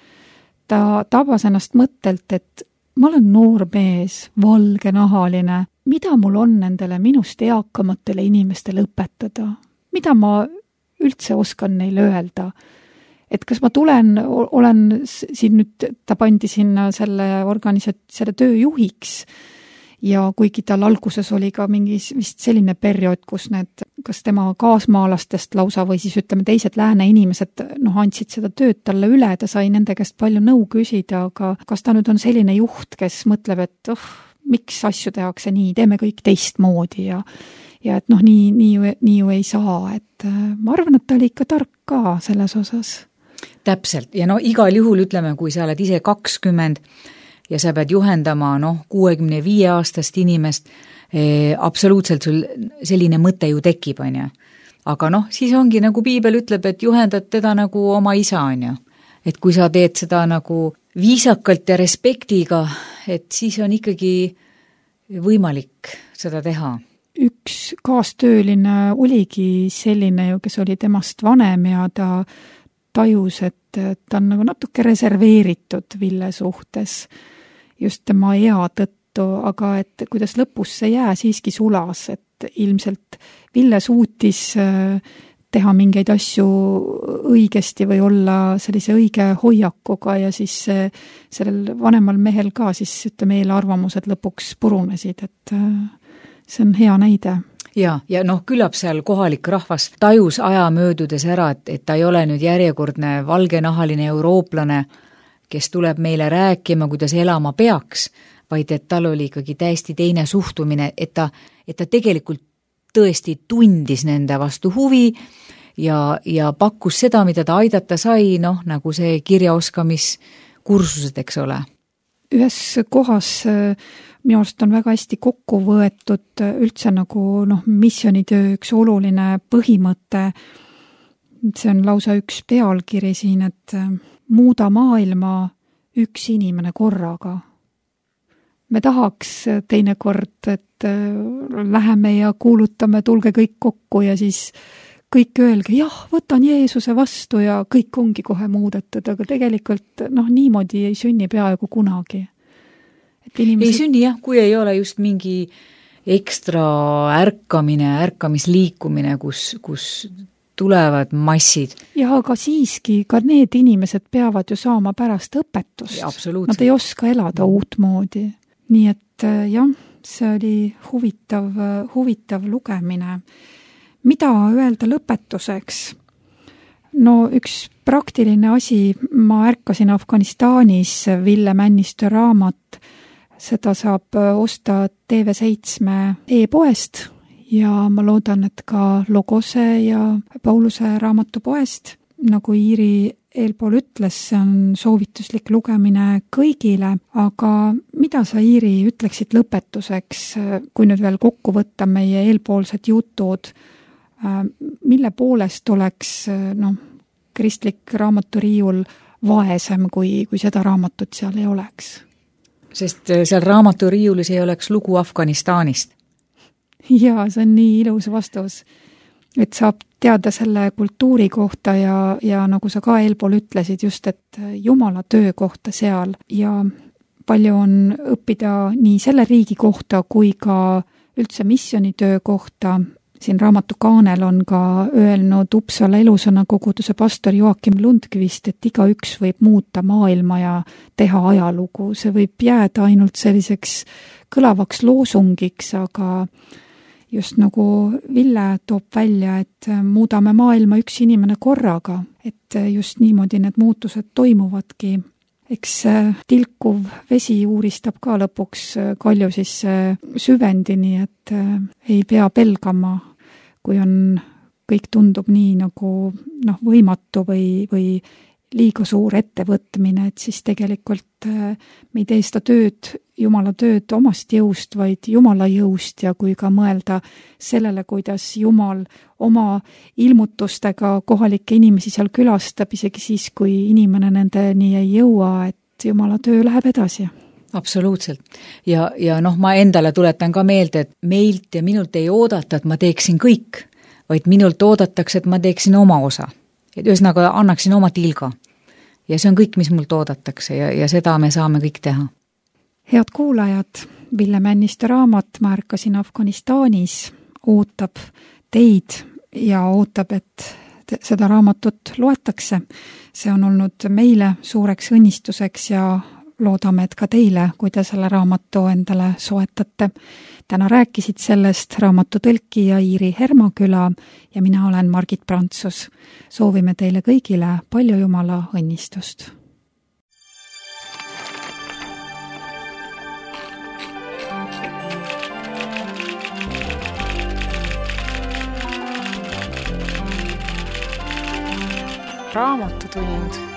ta tabas ennast mõttelt, et ma olen noor mees, valgenahaline, mida mul on nendele minust eakamatele inimestele õpetada? Mida ma üldse oskan neile öelda? Et kas ma olen siin nüüd, ta pandi sinna selle töö juhiks ja kuigi tal alguses oli ka mingi vist selline periood, kus kas tema kaasmaalastest lausa või siis ütleme teised lääne inimesed andsid seda tööd talle üle, ta sai nende käest palju nõu küsida, aga kas ta nüüd on selline juht, kes mõtleb, et miks asju tehakse nii, teeme kõik teistmoodi ja et nii ju ei saa, et ma arvan, et ta oli ikka tark ka selles osas. Täpselt, ja igal juhul ütleme, kui sa oled ise 20 ja sa pead juhendama 65-aastast inimest, absoluutselt sul selline mõte ju tekib, on ju. Aga siis ongi nagu piibel ütleb, et juhendad teda nagu oma isa, on ju. Et kui sa teed seda nagu viisakalt ja respektiga, et siis on ikkagi võimalik seda teha. Üks kaastööline oligi selline ju, kes oli temast vanem ja ta tajus, et ta on nagu natuke reserveeritud Ville suhtes just tema ea tõttu, aga et kuidas lõpus see jää siiski sulas, et ilmselt Ville suutis teha mingeid asju õigesti või olla sellise õige hoiakuga ja siis sellel vanemal mehel ka siis ütleme eelarvamused lõpuks purunesid, et see on hea näide. Ja küllap seal kohalik rahvas tajus aja möödudes ära, et ta ei ole nüüd järjekordne valgenahaline eurooplane, kes tuleb meile rääkima, kuidas elama peaks, vaid et tal oli ikkagi täiesti teine suhtumine, et ta tegelikult tõesti tundis nende vastu huvi ja pakkus seda, mida ta aidata sai, nagu see kirjaoskamiskursused, eks ole. Ühes kohas minu arust on väga hästi kokku võetud üldse nagu missioonitöö üks oluline põhimõte. See on lausa üks pealkiri siin, et muuda maailma üks inimene korraga. Me tahaks teinekord, et läheme ja kuulutame, tulge kõik kokku ja siis kõik öelge, jah, võtan Jeesuse vastu ja kõik ongi kohe muudetud, aga tegelikult niimoodi ei sünni peaaegu kunagi. Ei sünni jah, kui ei ole just mingi ekstra ärkamisliikumine, kus tulevad massid. Ja aga siiski ka need inimesed peavad ju saama pärast õpetust. Nad ei oska elada uut moodi. Nii et jah, see oli huvitav lugemine. Mida öelda lõpetuseks? Üks praktiline asi, ma ärkasin Afganistanis Ville Männistö raamat, seda saab osta TV7 e-poest ja ma loodan, et ka Logose ja Pauluse raamatupoest. Nagu Iiri eelpool ütles, see on soovituslik lugemine kõigile, aga mida sa, Iiri, ütleksid lõpetuseks, kui nüüd veel kokku võtta meie eelpoolsed jutud, mille poolest oleks kristlik raamaturiiul vaesem, kui seda raamatut seal ei oleks? Sest seal raamaturiiulis ei oleks lugu Afganistanist. Jaa, see on nii ilus vastus, et saab teada selle kultuuri kohta ja nagu sa ka eelpool ütlesid just, et Jumala töö kohta seal ja palju on õppida nii selle riigi kohta kui ka üldse missioonitöö kohta. Siin raamatu kaanel on ka öelnud Uppsala elusõna koguduse pastor Joakim Lundqvist, et igaüks võib muuta maailma ja teha ajalugu. See võib jääda ainult selliseks kõlavaks loosungiks, aga just nagu Ville toob välja, et muudame maailma üks inimene korraga, et just niimoodi need muutused toimuvadki. Eks tilkuv vesi uuristab ka lõpuks kalju sisse süvendini, et ei pea pelgama, kui kõik tundub nii nagu võimatu või liiga suur ettevõtmine, et siis tegelikult me ei tee seda tööd, Jumala tööd omast jõust, vaid Jumala jõust ja kui ka mõelda sellele, kuidas Jumal oma ilmutustega kohalikke inimesi seal külastab, isegi siis, kui inimene nendeni ei jõua, et Jumala töö läheb edasi. Absoluutselt. Ja ma endale tuletan ka meelde, et meilt ja minult ei oodata, et ma teeksin kõik, vaid minult oodatakse, et ma teeksin oma osa. Et ühesõnaga annaksin oma tilga. Ja see on kõik, mis mult oodatakse ja seda me saame kõik teha. Head kuulajad, Ville Männiste raamat Ma ärkasin Afganistanis ootab teid ja ootab, et seda raamatut loetakse. See on olnud meile suureks õnnistuseks ja loodame, et ka teile, kui te selle raamatu endale soetate. Täna rääkisid sellest raamatu tõlkija Iiri Hermaküla ja mina olen Margit Prantsus. Soovime teile kõigile palju Jumala õnnistust. Raamatutund.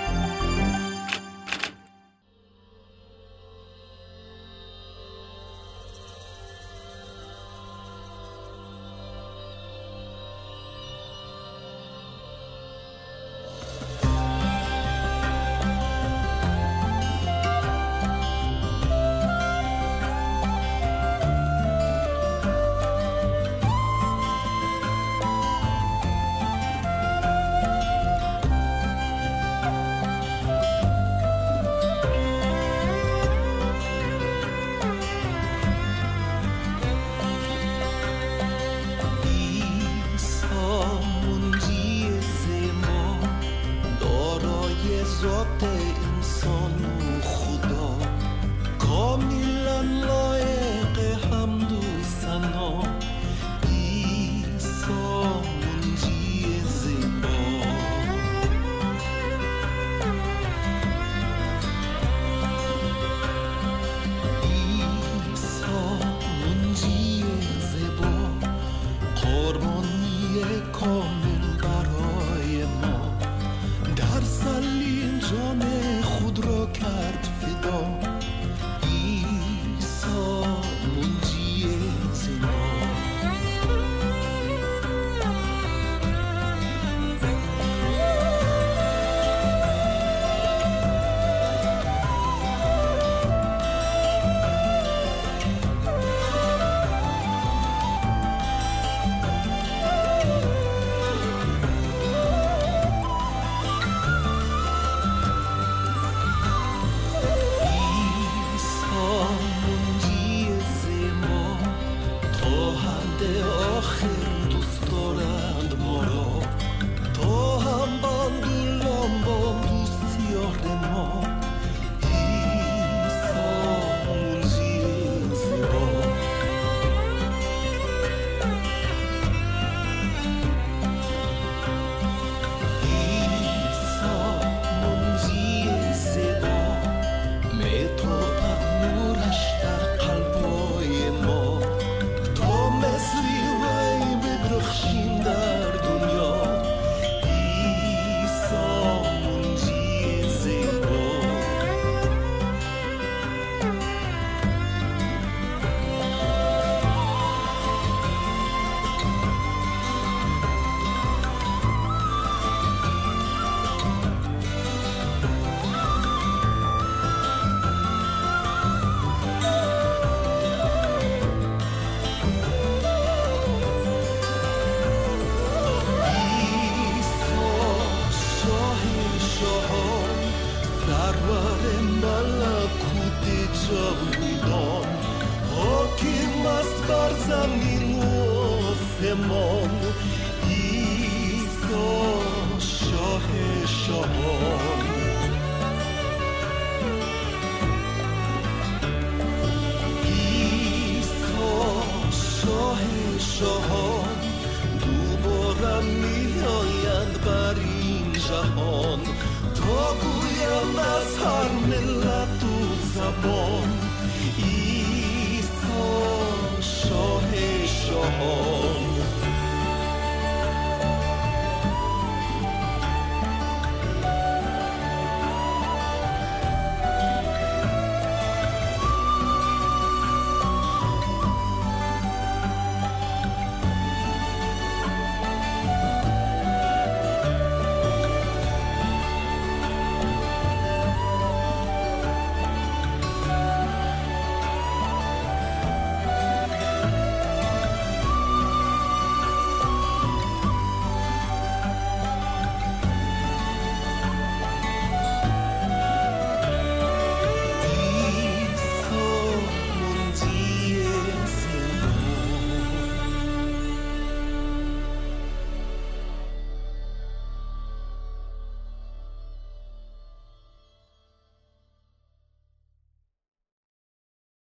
تا گویم از هر ملت و زبان